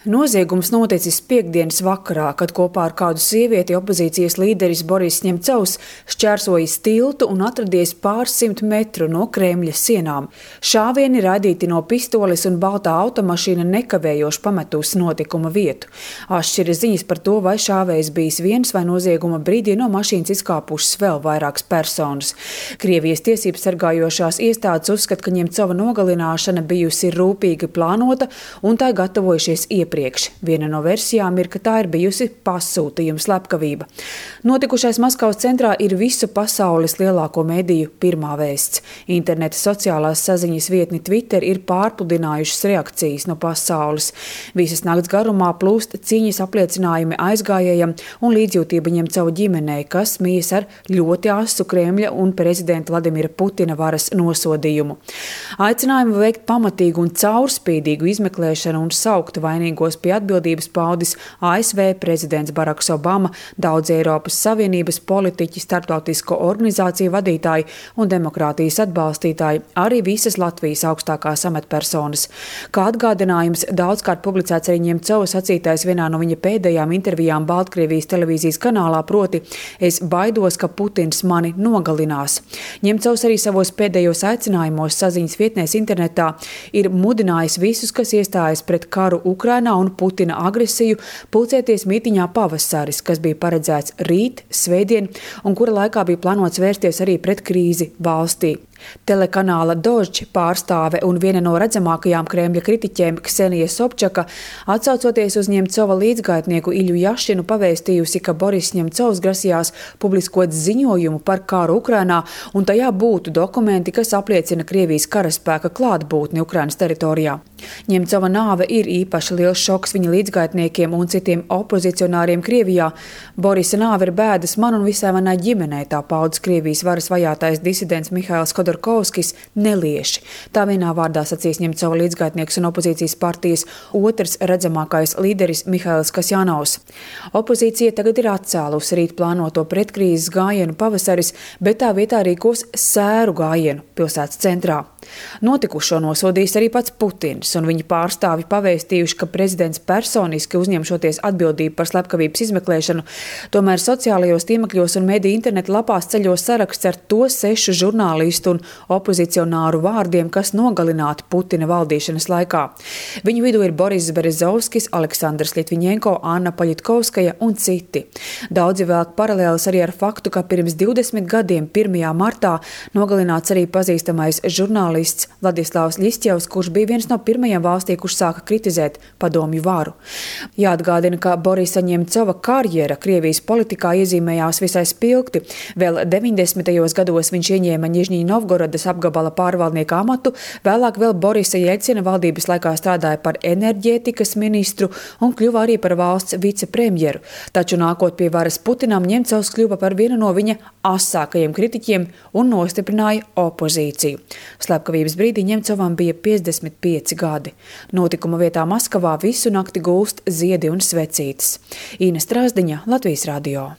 Noziegums noticis piektdienas vakarā, kad kopā ar kādu sievieti opozīcijas līderis Boris Ņemcovs šķērsojis tiltu un atradies pāris simt metru no Kremļa sienām. Šāvieni raidīti no pistoles un baltā automašīna nekavējoši pametusi notikuma vietu. Atšķiras ziņas par to, vai šāvējs bijis viens vai nozieguma brīdī no mašīnas izkāpušas vēl vairākas personas. Krievijas tiesības sargājošās iestādes uzskata, ka Ņemcova nogalināšana bijusi rūpīgi plānota un tai gatavojušies iepriekš. Viena no versijām ir, ka tā ir bijusi pasūtījuma slepkavība. Notikušais Maskavas centrā ir visu pasaules lielāko mediju pirmā vēsts. Interneta sociālās saziņas vietni Twitter ir pārpludinājušas reakcijas no pasaules. Visas nakts garumā plūst cīņas apliecinājumi aizgājējam un līdzjūtība Ņemcova ģimenei, kas mijas ar ļoti asu Kremļa un prezidenta Vladimira Putina varas nosodījumu. Aicinājumu veikt pamatīgu un caurspīdīgu izmeklēšanu un saukt vainīgos pie atbildības paudis ASV prezidents Baraks Obama, daudz Eiropas Savienības politiķi, starptautisko organizāciju vadītāji un demokrātijas atbalstītāji, arī visas Latvijas augstākās amatpersonas. Kā atgādinājums daudzkārt publicēts arī Ņemcova sacītais vienā no viņa pēdējām intervijām Baltkrievijas televīzijas kanālā, proti: "Es baidos, ka Putins mani nogalinās." Ņemcovs arī savos pēdējos aicinājumos saziņas vietnēs internetā ir mudinājis visus, kas iestājas pret karu Ukrainā un Putina agresiju, pulcēties mītiņā Pavasaris, kas bija paredzēts rīt, svētdien, un kura laikā bija plānots vērsties arī pret krīzi valstī. Telekanāla Dožd pārstāve un viena no redzamākajām Kremļa kritiķiem Ksenija Sobčaka, atsaucoties uz Ņemcova līdzgaitnieku Iļu Jašinu, pavēstījusi, ka Boris Ņemcovs grasījās publiskot ziņojumu par karu Ukrainā, un tajā būtu dokumenti, kas apliecina Krievijas karaspēka klātbūtni Ukrainas teritorijā. Ņemcova nāve ir īpaši liels šoks viņa līdzgaitniekiem un citiem opozicionāriem Krievijā. Borisa nāve ir bēdas man un visai manai ģimenei, tā paudas Krievijas varas vajātais disidents Mihails Khodorkovskis nelieši. Tā vienā vārdā sacīs Ņemcova līdzgaitnieks un opozīcijas partijas otrs redzamākais līderis Mihails Kasjanovs. Opozīcija tagad ir atcēlusi rīt plānoto pretkrīzes gājienu Pavasaris, bet tā vietā rīkos sēru gājienu pilsētas centrā. Notikušo nosodījis arī pats Putins, un viņa pārstāvi pavēstījuši, ka prezidents personiski uzņemšoties atbildību par slepkavības izmeklēšanu. Tomēr sociālajos tīmekļos un mediju interneta lapās ceļos saraksts ar to 6 žurnālistu un opozicionāru vārdiem, kas nogalināti Putina valdīšanas laikā. Viņu vidū ir Boris Berezovskis, Aleksandrs Ļitviņenko, Anna Paļitkovskaja un citi. Daudzi velk paralēlis arī ar faktu, ka pirms 20 gadiem 1. martā nogalināts arī pazīstamais žurnālists Vladislavs Ļisķevs, kurš bija viens no pirmajiem valstī, kurš sāka kritizēt padomju varu. Jāatgādina, ka Borisa Ņemcova karjera Krievijas politikā iezīmējās visai spilgti. Vēl 90. gados viņš ieņēma Nižņī Novgorodas apgabala pārvaldnieka amatu, vēlāk vēl Borisa Jeļcina valdības laikā strādāja par enerģētikas ministru un kļuva arī par valsts vicepremjeru. Taču nākot pie varas Putinam, Ņemcovs kļuva par vienu no viņa asākajiem kritiķiem un nostiprināja opozīciju. Slepkavības brīdī Ņemcovam bija 55 gadi. Notikuma vietā Maskavā visu nakti gulst ziedi un svecītes. Īna Strāzdiņa, Latvijas radio.